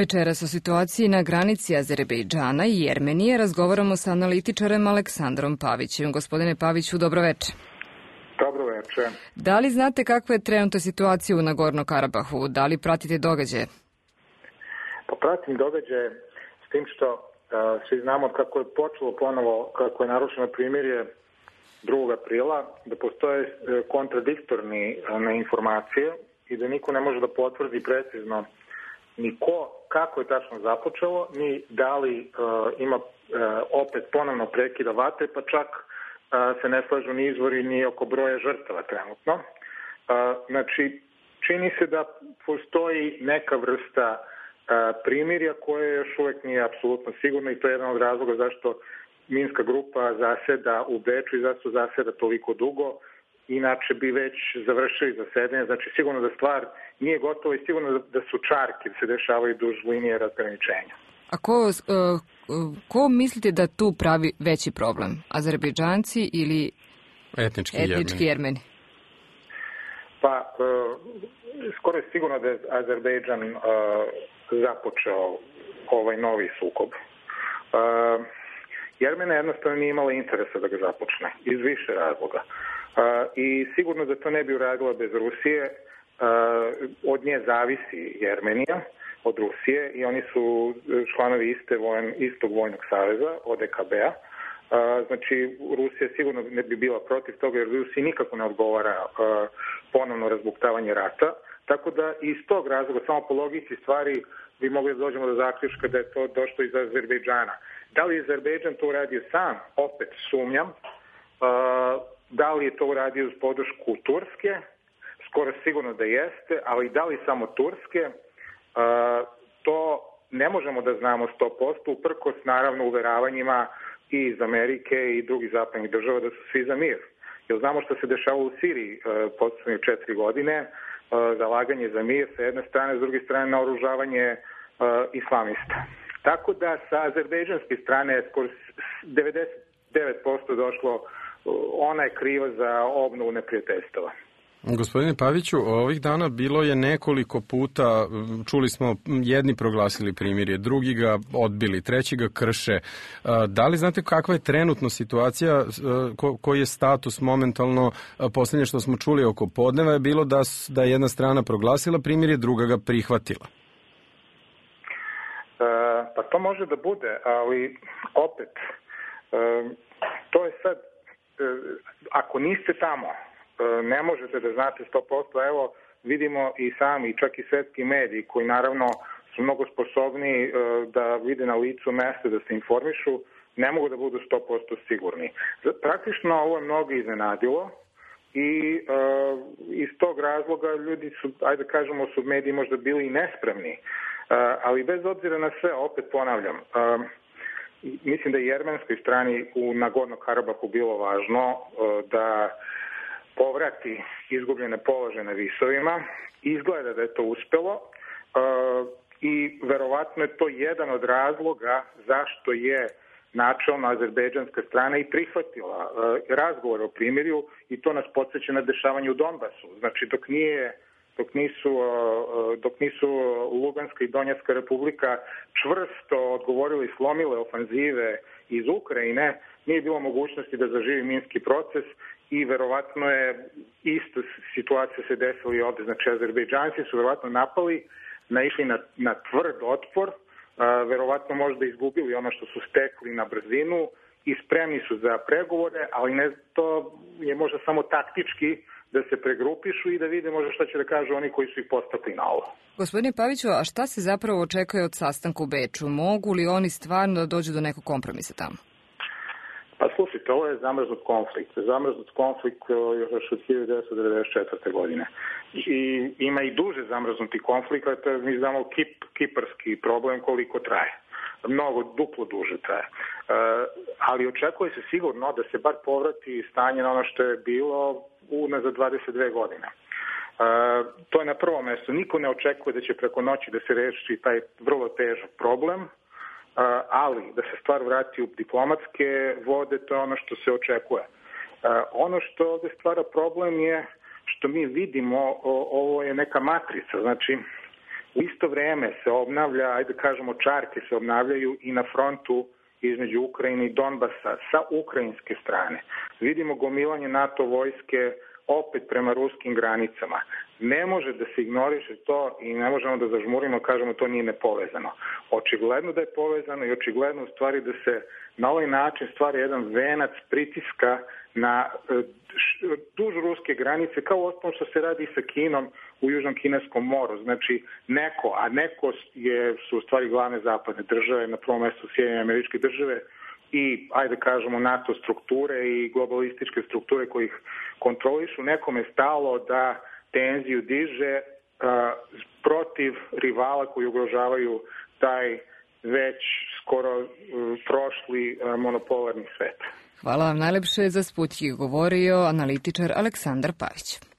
Večeras o situaciji na granici Azerbejdžana i Jermenije razgovaramo sa analitičarem Aleksandrom Pavićem. Gospodine Paviću, dobroveče. Dobroveče. Da li znate kakva je trenutna situacija u Nagorno-Karabahu? Da li pratite događaje? Pa pratim događaje s tim što svi znamo kako je počelo ponovo, kako je narušeno primirje 2. aprila, da postoje kontradiktorni informacije i da niko ne može da potvrdi precizno ni kako je tačno započelo, ni da li ima opet ponovno prekida vatre, pa čak se ne slažu ni izvori ni oko broja žrtava trenutno. Znači, čini se da postoji neka vrsta primirja koje još uvek nije apsolutno sigurno i to je jedan od razloga zašto Minska grupa zaseda u Beču i zašto zaseda toliko dugo. Inače bi već završili zasedanje, znači sigurno da stvar nije gotova i sigurno da su čarke da se dešavaju duž linije razgraničenja. A ko mislite da tu pravi veći problem? Azerbejdžanci ili etnički Jermeni? Pa, skoro je sigurno da je Azerbejdžan započeo ovaj novi sukob. Jermena jednostavno nije imala interesa da ga započne, iz više razloga. I sigurno da to ne bi uradila bez Rusije. Od nje zavisi Jermenija, od Rusije, i oni su članovi istog vojnog saveza, ODKB-a. Znači, Rusija sigurno ne bi bila protiv toga, jer Rusiji nikako ne odgovara ponovno razbuktavanje rata. Tako da iz tog razloga, samo po logici stvari, bi mogli da dođemo do zaključka da je to došlo iz Azerbejdžana. Da li je Azerbejdžan to uradio sam? Opet sumnjam. Da li je to uradio uz podršku Turske? Skoro sigurno da jeste, ali da li samo Turske? To ne možemo da znamo 100%, uprkos naravno uveravanjima i iz Amerike i drugih zapadnih država da su svi za mir. Jer znamo što se dešava u Siriji poslednje 4 godine, zalaganje za mir sa jedne strane, s druge strane naoružavanje islamista. Tako da sa azerbejdžanske strane je skoro 99% došlo, ona je kriva za obnovu neprijateljstava. Gospodine Paviću, ovih dana bilo je nekoliko puta, čuli smo, jedni proglasili primirje, drugi ga odbili, treći ga krše. Da li znate kakva je trenutno situacija, koji je status momentalno? Poslednje što smo čuli oko podneva je bilo da je jedna strana proglasila primirje, druga ga prihvatila. Pa to može da bude, ali opet, to je sad, ako niste tamo, ne možete da znate 100%, evo vidimo i sami, čak i svetski mediji koji naravno su mnogo sposobni da vide na licu mesta, da se informišu, ne mogu da budu 100% sigurni. Praktično ovo je mnogo iznenadilo i iz tog razloga ljudi su, ajde kažemo, su mediji možda bili i nespremni, ali bez obzira na sve, opet ponavljam, mislim da je jermenskoj strani u Nagorno-Karabahu bilo važno da povrati izgubljene položaje na visovima. Izgleda da je to uspelo i verovatno je to jedan od razloga zašto je načelno azerbejdžanska strana i prihvatila razgovor o primirju i to nas podsjeća na dešavanje u Donbasu. Znači, dok nisu Luganska i Donjecka republika čvrsto odgovorile i slomile ofanzive iz Ukrajine, nije bilo mogućnosti da zaživi minski proces i verovatno je ista situacija se desila i ovde. Znači, Azerbejdžanci su verovatno napali, naišli na tvrd otpor, verovatno možda izgubili ono što su stekli na brzinu i spremni su za pregovore, ali ne, to je možda samo taktički da se pregrupišu i da vide možda šta će da kažu oni koji su ih postakli na ovo. Gospodine Paviću, a šta se zapravo očekuje od sastanka u Beču? Mogu li oni stvarno da dođu do nekog kompromisa tamo? Pa slušajte, ovo je zamrznut konflikt. Zamrznut konflikt još od 1994. godine. I ima i duže zamrznuti konflikt, mi znamo kiparski problem koliko traje. Mnogo, duplo duže traje. Ali očekuje se sigurno da se bar povrati stanje na ono što je bilo unazad 22 godine. To je na prvom mestu. Niko ne očekuje da će preko noći da se reši taj vrlo težak problem, ali da se stvar vrati u diplomatske vode, to je ono što se očekuje. Ono što ovde stvara problem je što mi vidimo, ovo je neka matrica, znači U isto vreme se obnavlja, ajde kažemo čarke se obnavljaju i na frontu između Ukrajine i Donbasa sa ukrajinske strane. Vidimo gomilanje NATO vojske opet prema ruskim granicama. Ne može da se ignoriše to i ne možemo da zažmurimo, kažemo to nije nepovezano. Očigledno da je povezano i očigledno u stvari da se na ovaj način stvara jedan venac pritiska na duž ruske granice, kao osnovno što se radi sa Kinom u Južnom kineskom moru. Znači neko su u stvari glavne zapadne države, na prvom mestu Sjedinjene Američke Države i, ajde kažemo, NATO strukture i globalističke strukture koji ih kontrolišu. Nekome je stalo da tenziju diže protiv rivala koji ugrožavaju taj već skoro prošli monopolarni svet. Hvala vam najlepše. Za Sputnjik govorio analitičar Aleksandar Pavić.